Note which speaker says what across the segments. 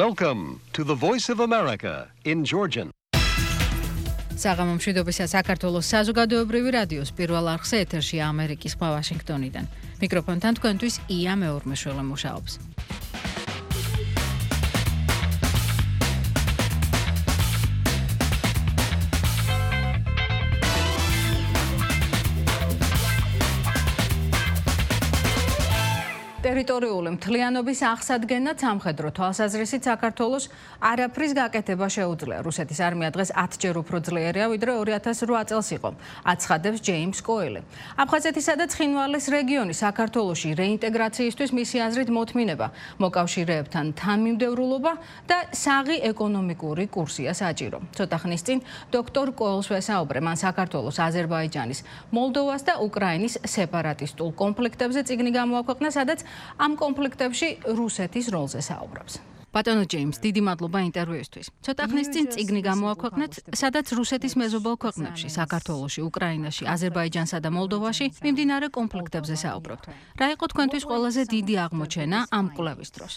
Speaker 1: Welcome to the Voice of America in Georgian.
Speaker 2: საღამო მშვიდობისა საქართველოს საზოგადოებრივი რადიოს პირველ არხზე ეთერშია ამერიკის ხმა ვაშინგტონიდან. მიკროფონთან თქვენთვის ია მეორმეშველე მუშაობს. ტერიტორიული მთლიანობის აღსადგენად სამხედრო თვალსაზრისით საქართველოს არაფრის გაკეთება შეუძლია. რუსეთის არმია დღეს 10-ჯერ უფრო ძლიერია, ვიდრე 2008 წელს იყო, აცხადებს ჯეიმს კოელი. აფხაზეთისა და ცხინვალის რეგიონი საქართველოში რეინტეგრაციისთვის მისი აზრით მოთმინება, მოკავშირეებთან თანმიმდევრულობა და საღი ეკონომიკური კურსია საჭირო. ცოტა ხნის წინ დოქტორ კოელს ვესაუბრე, მან საქართველოს, აზერბაიჯანის, მოლდოვას და უკრაინის სეპარატისტულ კონფლიქტებზე წიგნი გამოაქვეყნა, სადაც ამ კონფლიქტებში რუსეთის როლზე საუბრობს. ბატონო ჯეიმს, დიდი მადლობა ინტერვიუისთვის. ცოტა ხნის წინ წიგნი გამოაქვეყნეთ, სადაც რუსეთის მეზობელ ქვეყნებში, საქართველოში, უკრაინაში, აზერბაიჯანსა და მოლდოვაში მიმდინარე კონფლიქტებზე საუბრობთ. რა იყო თქვენთვის ყველაზე დიდი აღმოჩენა ამ კვლევის დროს?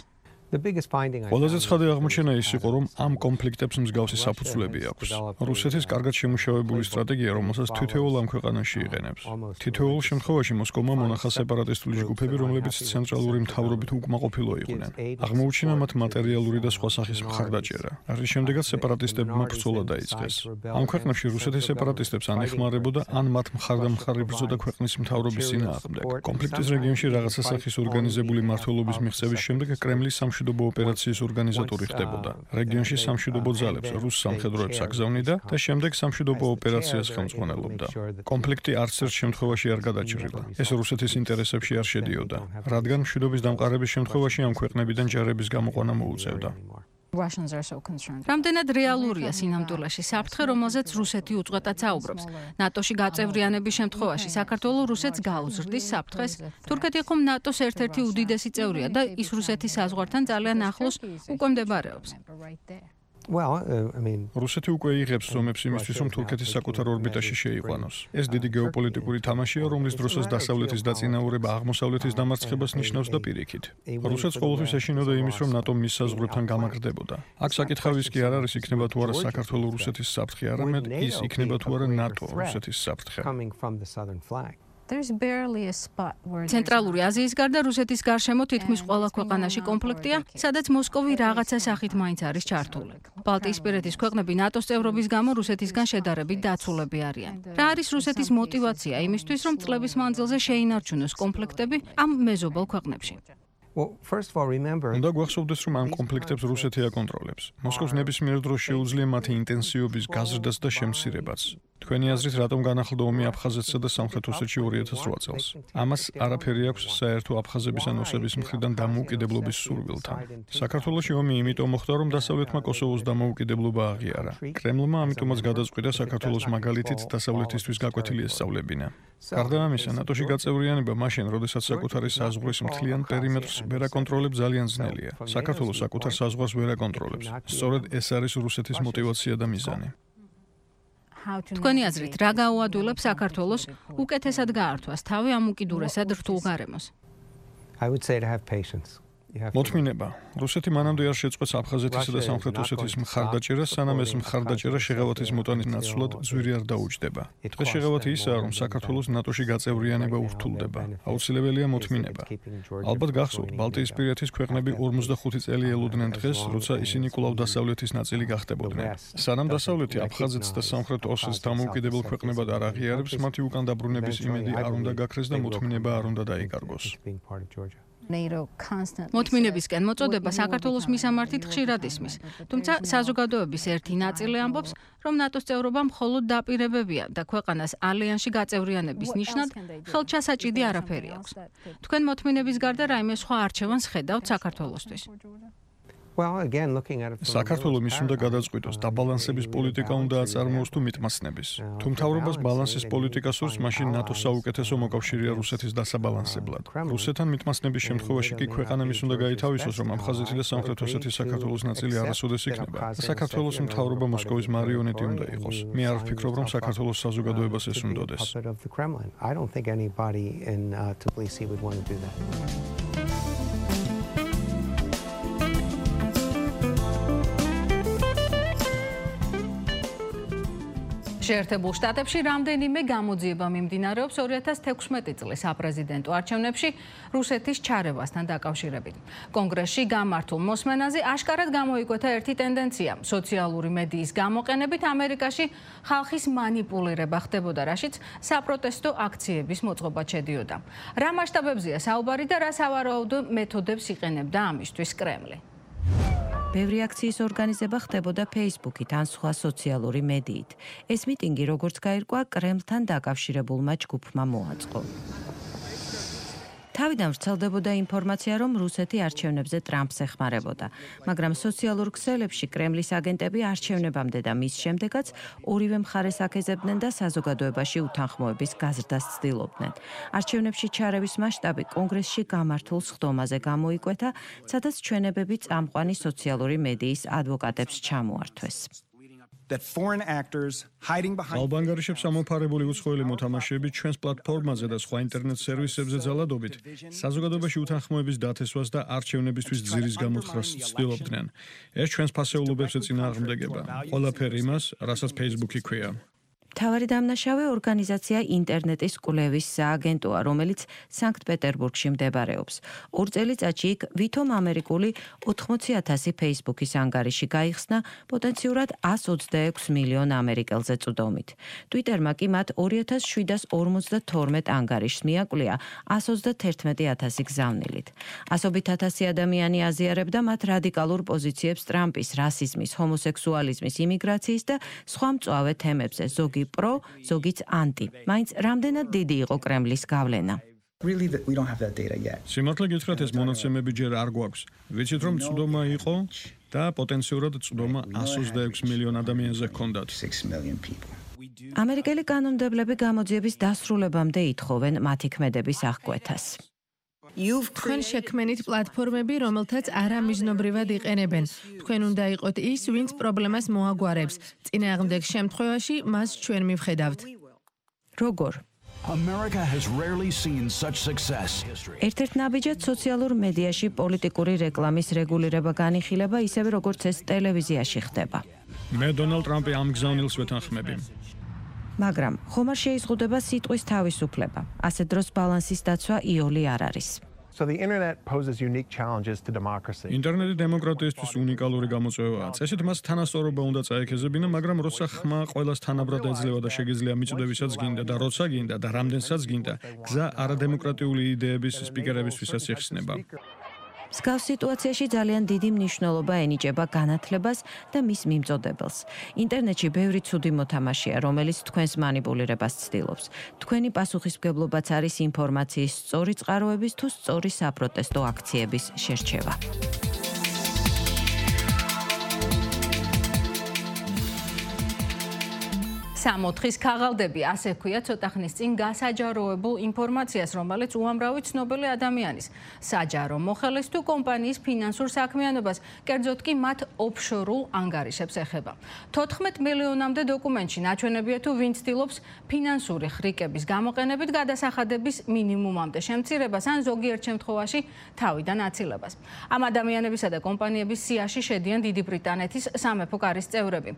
Speaker 3: ყველაზე ცხადი აღმოჩენა ის იყო, რომ ამ კონფლიქტებს მსგავსი საფუძვლები აქვს. რუსეთის კარგად შემუშავებული სტრატეგია, რომელსაც თითოეულ ამ ქვეყანაში იყენებს. თითოეულ შემთხვევაში მოსკოვმა მონახა სეპარატისტული ჯგუფები, რომლებიც ცენტრალური მთავრობით უკმაყოფილო იყვნენ. აღმოუჩინა მათ მატერიალური და სხვა სახის მხარდაჭერა. რის შემდეგაც სეპარატისტებმა ბრძოლა დაიწყეს. ამ ქვეყნებში რუსეთი სეპარატისტებს ან ეხმარებოდა, ან მათ მხარდამხარი ბრძოდა ქვეყნის მთავრობის წინააღმდეგ. კონფლიქტის რეგიონში რაღაცა სახის ორგანიზებული მმართველობის მიღწევის შემდეგ კრემლის სამშვიდობო ოპერაციის ორგანიზატორი ხდებოდა. რეგიონში სამშვიდობო ძალებს, რუს სამხედროებს აგზავნიდა და შემდეგ სამშვიდობო ოპერაციას ხელმძღვანელობდა. კონფლიქტი არც ერთ შემთხვევაში არ გადაჭრილა. ეს რუსეთის ინტერესებში არ შედიოდა, რადგან მშვიდობის დამყარების შემთხვევაში ამ ქვეყნებიდან ჯარების გამოყვანა მოუწევდა.
Speaker 2: რამდენად რეალურია სინამდვილეში საფრთხე, რომელზეც რუსეთი უწყვეტად საუბრობს? ნატოში გაწევრიანების შემთხვევაში საქართველო რუსეთს გაუზრდის საფრთხეს? თურქეთი ხომ ნატოს ერთ-ერთი უდიდესი წევრია და ის რუსეთის საზღვართან ძალიან ახლოს უკვე მდებარეობს.
Speaker 3: რუსეთი უკვე იღებს ზომებს იმისთვის, რომ თურქეთის საკუთარ ორბიტაში შეიყვანოს. ეს დიდი გეოპოლიტიკური თამაშია, რომლის დროსაც დასავლეთის დაწინაურება აღმოსავლეთის დამარცხებას ნიშნავს და პირიქით. რუსეთს ყოველთვის ეშინოდა იმის, რომ ნატო მის საზღვრებთან გამაგრდებოდა. აქ საკითხავის კი არ არის, იქნება თუ არა საქართველო რუსეთის საფრთხე, არამედ ის იქნება თუ არა ნატო რუსეთის საფრთხე.
Speaker 2: ცენტრალური აზიის გარდა რუსეთის გარშემო თითქმის ყველა ქვეყანაში კონფლიქტია, სადაც მოსკოვი რაღაცა სახით მაინც არის ჩართული. ბალტიისპირეთის ქვეყნები ნატოს წევრობის გამო რუსეთისგან შედარებით დაცულები არიან. რა არის რუსეთის мотиваცია იმისთვის, რომ წლების მანძილზე შეინარჩუნოს კონფლიქტები ამ მეზობელ ქვეყნებში?
Speaker 3: უნდა გვახსოვდეს, რომ ამ კონფლიქტებს რუსეთი აკონტროლებს. მოსკოვს ნებისმიერ დროს შეუძლია მათი ინტენსივობის გაზრდაც და შემცირებაც. თქვენი აზრით, რატომ განახლდა ომი აფხაზეთსა და სამხრეთ ოსეთში 2008 წელს? ამას არაფერი აქვს საერთო აფხაზების ან ოსების მხრიდან დამოუკიდებლობის სურვილთან. საქართველოში ომი იმიტომ მოხდა, რომ დასავლეთმა კოსოვოს დამოუკიდებლობა აღიარა. კრემლმა ამიტომაც გადაწყვიტა საქართველოს მაგალითით დასავლეთისთვის გაკვეთილი ესწავლებინა. გარდა ამისა, ნატოში გაწევრიანება მაშინ, როდესაც საკუთარი საზღვრის მთლიან პერიმეტრს ვერ აკონტროლებს, ძალიან ძნელია. საქართველოს საკუთარ საზღვარს ვერ აკონტროლებს. სწორედ ეს არის რუსეთის мотиваცია და მიზანი.
Speaker 2: თქვენი აზრით, რა გაუადვილებს საქართველოს უკეთესად გაართვას თავი ამ უკიდურესად რთულ გარემოს?
Speaker 3: მოთმინება. რუსეთი მანამდე არ შეწყვეტს აფხაზეთისა და სამხრეთ ოსეთის მხარდაჭერას, სანამ ეს მხარდაჭერა შეღავათის მოტანის ნაცვლად ძვირი არ დაუჯდება. დღეს შეღავათი ისაა, რომ საქართველოს ნატოში გაწევრიანება ურთულდება. აუცილებელია მოთმინება. ალბათ გახსოვთ, ბალტიისპირეთის ქვეყნები 45 წელი ელოდნენ დღეს, როცა ისინი კვლავ დასავლეთის ნაწილი გახდებოდნენ. სანამ დასავლეთი აფხაზეთს და სამხრეთ ოსეთს დამოუკიდებელ ქვეყნებად არ აღიარებს, მათი უკან დაბრუნების იმედი არ უნდა გაქრეს და მოთმინება არ უნდა დაიკარგოს.
Speaker 2: მოთმინებისკენ მოწოდება საქართველოს მისამართით ხშირად ისმის, თუმცა საზოგადოების ერთი ნაწილი ამბობს, რომ ნატოს წევრობა მხოლოდ დაპირებებია და ქვეყანას ალიანსში გაწევრიანების ნიშნად ხელჩასაჭიდი არაფერი აქვს. თქვენ მოთმინების გარდა რაიმე სხვა არჩევანს ხედავთ საქართველოსთვის?
Speaker 3: საქართველო მის უნდა გადაწყვიტოს, დაბალანსების პოლიტიკა უნდა აწარმოოს თუ მიტმაცნების. თუ მთავრობას ბალანსის პოლიტიკა სურს, მაშინ ნატოს საუკეთესო მოკავშირეა რუსეთის დასაბალანსებლად. რუსეთთან მიტმაცნების შემთხვევაში კი ქვეყანა მის უნდა გაითავისოს, რომ აფხაზეთი და სამხრეთ ოსეთის საქართველოს ნაწილი არასოდეს იქნება. საქართველოს მთავრობა მოსკოვის მარიონეტი უნდა იყოს. მე არ ვფიქრობ, რომ საქართველოს საზოგადოებას ეს უნდოდეს.
Speaker 2: შეერთებულ შტატებში რამდენიმე გამოძიება მიმდინარეობს 2016 წლის საპრეზიდენტო არჩევნებში რუსეთის ჩარევასთან დაკავშირებით. კონგრესში გამართულ მოსმენაზე აშკარად გამოიკვეთა ერთი ტენდენცია. სოციალური მედიის გამოყენებით ამერიკაში ხალხის მანიპულირება ხდებოდა, რაშიც საპროტესტო აქციების მოწყობა შედიოდა. რა მასშტაბებზეა საუბარი და რა სავარაუდო მეთოდებს იყენებდა ამისთვის კრემლი?
Speaker 4: ბევრი აქციის ორგანიზება ხდებოდა Facebook-ით ან სხვა სოციალური მედიით. ეს მიტინგი, როგორც გაირკვა, კრემლთან დაკავშირებულმა ჯგუფმა მოაწყო. თავიდან ვრცელდებოდა ინფორმაცია, რომ რუსეთი არჩევნებზე ტრამპს ეხმარებოდა, მაგრამ სოციალურ ქსელებში კრემლის აგენტები არჩევნებამდე და მის შემდეგაც ორივე მხარეს აკეზებდნენ და საზოგადოებაში უთანხმოების გაზრდას ცდილობდნენ. არჩევნებში ჩარევის მასშტაბი კონგრესში გამართულ სხდომაზე გამოიკვეთა, სადაც ჩვენებები წამყვანი სოციალური მედიის ადვოკატებს ჩამოართვეს.
Speaker 3: ალბანგარიშებს ამოფარებული უცხოელი მოთამაშეები ჩვენს პლატფორმაზე და სხვა ინტერნეტ სერვისებზე ძალადობით საზოგადოებაში უთანხმოების დათესვას და არჩევნებისთვის ძირის გამოთხრას ცდილობდნენ. ეს ჩვენს ფასეულობებს ეწინააღმდეგება. ყველაფერი იმას, რასაც Facebook-ი ქვია.
Speaker 4: მთავარი დამნაშავე ორგანიზაცია ინტერნეტის კვლევის სააგენტოა, რომელიც სანქტ-პეტერბურგში მდებარეობს. 2 წელიწადში იქ ვითომ ამერიკული 80,000 Facebook-ის ანგარიში გაიხსნა პოტენციურად 126 მილიონ ამერიკელზე წვდომით. Twitter-მა კი მათ 2752 ანგარიშს მიაკვლია 131,000 გზავნილით. ასობით ათასი ადამიანი აზიარებდა მათ რადიკალურ პოზიციებს ტრამპის, რასიზმის, ჰომოსექსუალიზმის, იმიგრაციის და სხვა მწვავე თემებზე, ზოგი პრო, ზოგიც ანტი. მაინც რამდენად დიდი იყო კრემლის გავლენა?
Speaker 3: სიმართლე გითხრათ, ეს მონაცემები ჯერ არ გვაქვს. ვიცით, რომ წვდომა იყო და პოტენციურად წვდომა 126 მილიონ ადამიანზე ჰქონდათ.
Speaker 4: ამერიკელი კანონმდებლები გამოძიების დასრულებამდე ითხოვენ მათი ქმედების აღკვეთას.
Speaker 5: თქვენ შექმენით პლატფორმები, რომელთაც არამიზნობრივად იყენებენ. თქვენ უნდა იყოთ ის, ვინც პრობლემას მოაგვარებს. წინააღმდეგ შემთხვევაში მას ჩვენ მივხედავთ.
Speaker 4: როგორ? ერთ-ერთ ნაბიჯად სოციალურ მედიაში პოლიტიკური რეკლამის რეგულირება განიხილება, ისევე როგორც ეს ტელევიზიაში ხდება.
Speaker 3: მე დონალდ ტრამპი ამ გზავნილს ვეთანხმები.
Speaker 4: მაგრამ ხომ არ შეიზღუდება სიტყვის თავისუფლება. ასე დროს ბალანსის დაცვა იოლი არ არის.
Speaker 3: ინტერნეტი დემოკრატიისთვის უნიკალური გამოწვევაა. წესით მას თანასწორობა უნდა წაექეზებინა, მაგრამ როცა ხმა ყველას თანაბრად ეძლევა და შეგიძლია მიწვდებისაც გინდა და როცა გინდა და რამდენსაც გინდა, გზა არადემოკრატიული იდეების სპიკერებისთვისაც იხსნება.
Speaker 4: მსგავს სიტუაციაში ძალიან დიდი მნიშვნელობა ენიჭება განათლებას და მის მიმწოდებელს. ინტერნეტში ბევრი ცუდი მოთამაშეა, რომელიც თქვენს მანიპულირებას ცდილობს. თქვენი პასუხისმგებლობაც არის ინფორმაციის სწორი წყაროების თუ სწორი საპროტესტო აქციების შერჩევა.
Speaker 2: სამოთხის ქაღალდები, ასე ქვია ცოტა ხნის წინ გასაჯაროებულ ინფორმაციას, რომელიც უამრავი ცნობილი ადამიანის საჯარო მოხელეს თუ კომპანიის ფინანსურ საქმიანობას, კერძოდ კი მათ ოფშორულ ანგარიშებს ეხება. 14 მილიონამდე დოკუმენტში ნაჩვენებია თუ ვინ ცდილობს ფინანსური ხრიკების გამოყენებით გადასახადების მინიმუმამდე შემცირებას ან ზოგიერთ შემთხვევაში თავიდან აცილებას. ამ ადამიანებისა და კომპანიების სიაში შედიან დიდი ბრიტანეთის სამეფო კარის წევრები,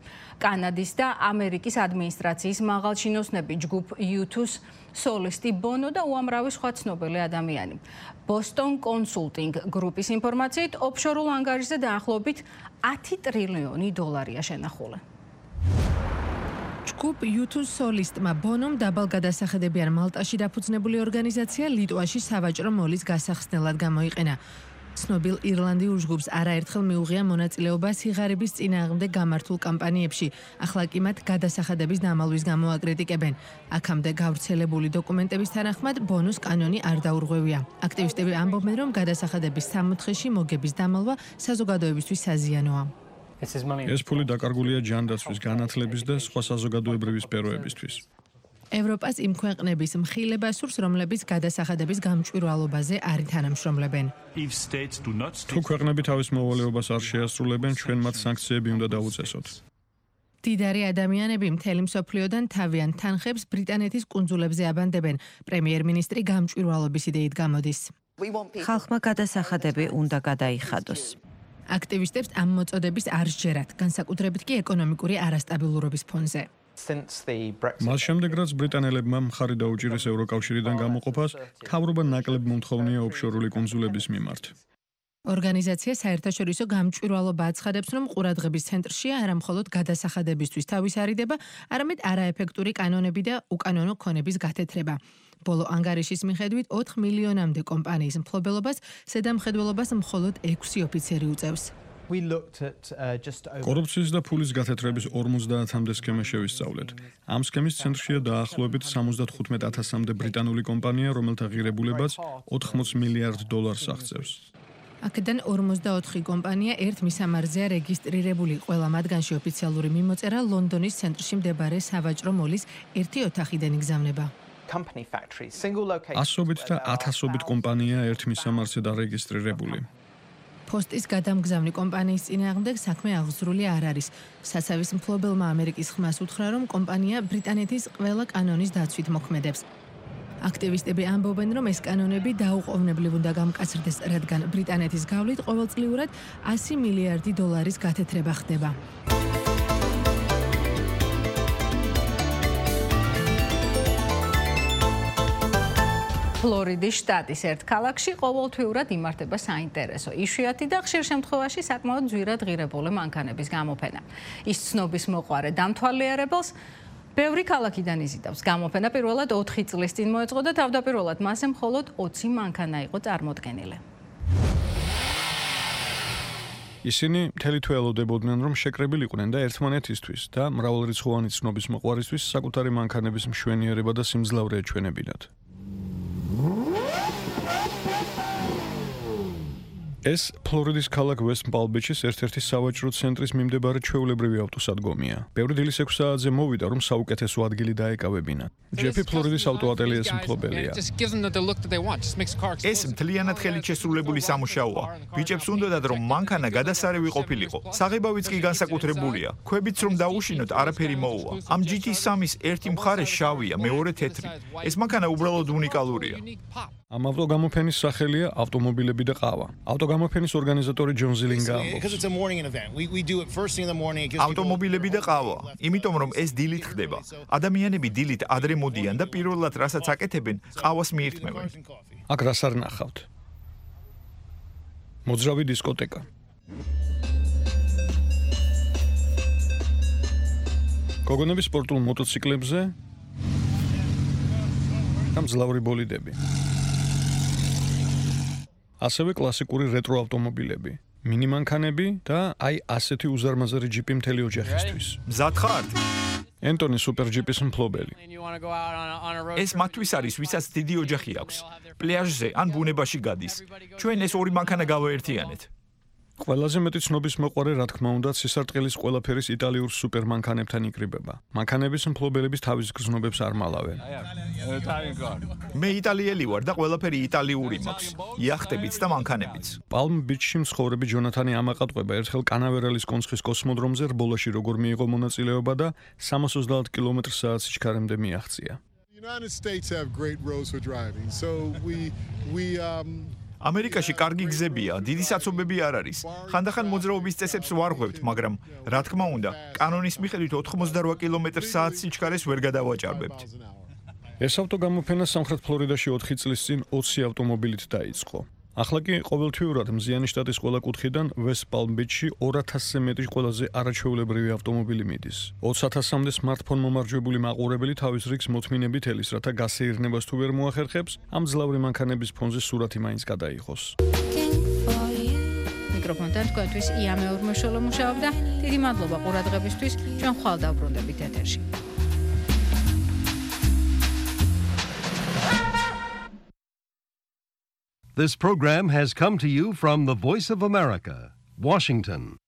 Speaker 2: კანადის და ამერიკის ადმინისტრაციის მაღალჩინოსნები, ჯგუფ U2-ს სოლისტი ბონო და უამრავი სხვა ცნობილი ადამიანი. Boston Consulting Group-ის ინფორმაციით, ოფშორულ ანგარიშზე დაახლოებით 10 ტრილიონი დოლარია შენახული.
Speaker 5: ჯგუფ U2-ს სოლისტმა ბონომ დაბალ გადასახედებიან მალტაში დაფუძნებული ორგანიზაცია ლიტვაში სავაჭრო მოლის გასახსნელად გამოიყენა. ცნობილ ირლანდიურ ჯგუფს არაერთხელ მიუღია მონაწილეობა სიღარიბის წინააღმდეგ გამართულ კამპანიებში. ახლა კი მათ გადასახადების დამალვის გამო აკრიტიკებენ. აქამდე გავრცელებული დოკუმენტების თანახმად ბონოს კანონი არ დაურღვევია. აქტივისტები ამბობენ, რომ გადასახადების 64-ში მოგების დამალვა საზოგადოებისთვის საზიანოა.
Speaker 3: ეს ფული დაკარგულია ჯანდაცვის, განათლების და სხვა საზოგადოებრივი სფეროებისთვის.
Speaker 5: ევროპას იმ ქვეყნების მხილება სურს, რომლებიც გადასახადების გამჭვირვალობაზე არ თანამშრომლებენ.
Speaker 3: თუ ქვეყნები თავის მოვალეობას არ შეასრულებენ, ჩვენ მათ სანქციები უნდა დავუწესოთ.
Speaker 5: დიდარი ადამიანები მთელი მსოფლიოდან თავიანთ თანხებს ბრიტანეთის კუნძულებზე აბანდებენ. პრემიერ-მინისტრი გამჭვირვალობის იდეით გამოდის.
Speaker 4: ხალხმა გადასახადები უნდა გადაიხადოს.
Speaker 5: აქტივისტებს ამ მოწოდების არ სჯერათ, განსაკუთრებით კი ეკონომიკური არასტაბილურობის ფონზე.
Speaker 3: მას შემდეგ, რაც ბრიტანელებმა მხარი დაუჭირეს ევროკავშირიდან გამოყოფას, მთავრობა ნაკლებ მომთხოვნია ოფშორული კუნძულების მიმართ.
Speaker 5: ორგანიზაცია საერთაშორისო გამჭვირვალობა აცხადებს, რომ ყურადღების ცენტრშია არა მხოლოდ გადასახადებისთვის თავის არიდება, არამედ არაეფექტური კანონები და უკანონო ქონების გათეთრება. ბოლო ანგარიშის მიხედვით 4 მილიონამდე კომპანიის მფლობელობას ზედამხედველობას მხოლოდ 6 ოფიცერი უწევს.
Speaker 3: კორუფციის და ფულის გათეთრების 50-მდე სქემა შევისწავლეთ. ამ სქემის ცენტრშია დაახლოებით 75,000-მდე ბრიტანული კომპანია, რომელთა ღირებულებაც 80 მილიარდ დოლარს აღწევს.
Speaker 5: აქედან 44 კომპანია ერთ მისამართზეა რეგისტრირებული, ყველა მათგანში ოფიციალური მიმოწერა ლონდონის ცენტრში მდებარე სავაჭრო მოლის ერთი ოთახიდან იგზავნება.
Speaker 3: ასობით და 1000-ობით კომპანია ერთ მისამართზე დარეგისტრირებული.
Speaker 5: პოსტის გადამგზავნი კომპანიის წინააღმდეგ საქმე აღზრული არ არის. სასავის მფლობელმა ამერიკის ხმას უთხრა, რომ კომპანია ბრიტანეთის ყველა კანონის დაცვით მოქმედებს. აქტივისტები ამბობენ, რომ ეს კანონები დაუყოვნებლივ უნდა გამკაცრდეს, რადგან ბრიტანეთის გავლით ყოველწლიურად 100 მილიარდი დოლარის გათეთრება ხდება.
Speaker 2: ფლორიდის შტატის ერთ ქალაქში ყოველთვიურად იმართება საინტერესო, იშვიათი და ხშირ შემთხვევაში საკმაოდ ძვირად ღირებული მანქანების გამოფენა. ის ცნობის მოყვარე დამთვალიერებელს ბევრი ქალაქიდან იზიდავს. გამოფენა პირველად 4 წლის წინ მოეწყო და თავდაპირველად მასზე მხოლოდ 20 მანქანა იყო წარმოდგენილი.
Speaker 3: ისინი მთელი თვე ელოდებოდნენ, რომ შეკრებილიყვნენ და ერთმანეთისთვის და მრავალრიცხოვანი ცნობის მოყვარისთვის საკუთარი მანქანების მშვენიერება და სიმძლავრე ეჩვენებინათ. ეს ფლორიდის ქალაქ ვესტ პალმ-ბიჩის ერთ-ერთი სავაჭრო ცენტრის მიმდებარე ჩვეულებრივი ავტოსადგომია. ბევრი დილის 6 საათზე მოვიდა, რომ საუკეთესო ადგილი დაეკავებინათ. ჯეფი ფლორიდის ავტოატელიეს მფლობელია.
Speaker 6: ეს მთლიანად ხელით შესრულებული სამუშაოა. ბიჭებს უნდათ, რომ მანქანა გადასარევი ყოფილიყო. საღებავიც კი განსაკუთრებულია. ქვებიც რომ დაუშინოთ, არაფერი მოუვა. ამ GT3-ის ერთი მხარე შავია, მეორე თეთრი. ეს მანქანა უბრალოდ უნიკალურია.
Speaker 3: ამ ავტოგამოფენის სახელია ავტომობილები და ყავა. ავტოგამოფენის ორგანიზატორი ჯონ ზილინგა ამბობს.
Speaker 6: ავტომობილები და ყავა, იმიტომ რომ ეს დილით ხდება. ადამიანები დილით ადრე მოდიან და პირველად რასაც აკეთებენ, ყავას მიირთმევენ.
Speaker 3: აქ რას არ ნახავთ? მოძრავი დისკოტეკა. გოგონები სპორტულ მოტოციკლებზე და მძლავრი ბოლიდები. ასევე კლასიკური რეტრო ავტომობილები, მინი მანქანები და აი ასეთი უზარმაზარი ჯიპი მთელი ოჯახისთვის.
Speaker 6: მზად ხართ?
Speaker 3: ენტონი სუპერჯიპის მფლობელი.
Speaker 6: ეს მათთვის არის, ვისაც დიდი ოჯახი აქვს. პლაჟზე ან ბუნებაში გადის. ჩვენ ეს ორი მანქანა გავაერთიანეთ.
Speaker 3: ყველაზე მეტი ცნობის მოყვარე, რა თქმა უნდა, სისარტყელის ყველაფერის იტალიურ სუპერმანქანებთან იკრიბება. მანქანების მფლობელების თავის გრძნობებს არ მალავენ.
Speaker 6: მე იტალიელი ვარ და ყველაფერი იტალიური მაქვს. იახტებიც და მანქანებიც.
Speaker 3: პალმ-ბიჩში მცხოვრები ჯონათანი ამაყატყვება ერთხელ კანავერალის კონცხის კოსმოდრომზე რბოლაში როგორ მიიღო მონაწილეობა და 330 კმ/სთ სიჩქარემდე მიაღწია.
Speaker 6: ამერიკაში კარგი გზებია, დიდი საცობები არ არის. ხანდახან მოძრაობის წესებს ვარღვევთ, მაგრამ რა თქმა უნდა, კანონის მიხედვით 88 კმ/სთ სიჩქარეს ვერ გადავაჭარბებთ.
Speaker 3: ეს ავტოგამოფენა სამხრეთ ფლორიდაში 4 წლის წინ 20 ავტომობილით დაიწყო. ახლა კი ყოველთვიურად მზიანი შტატის ყველა კუთხიდან ვესტ პალმ-ბიჩში 2000-ზე მეტი ყველაზე არაჩვეულებრივი ავტომობილი მიდის. 20,000-მდე სმარტფონ მომარჯვებული მაყურებელი თავის რიგს მოთმინებით ელის, რათა გასეირნებას თუ ვერ მოახერხებს, ამ ძლავრი მანქანების ფონზე სურათი მაინც გადაიღოს.
Speaker 2: მიკროფონთან თქვენთვის ია მეორმოშოლო მუშაობდა. დიდი მადლობა ყურადღებისთვის. ჩვენ ხვალ დავბრუნდებით ეთერში.
Speaker 1: This program has come to you from the Voice of America, Washington.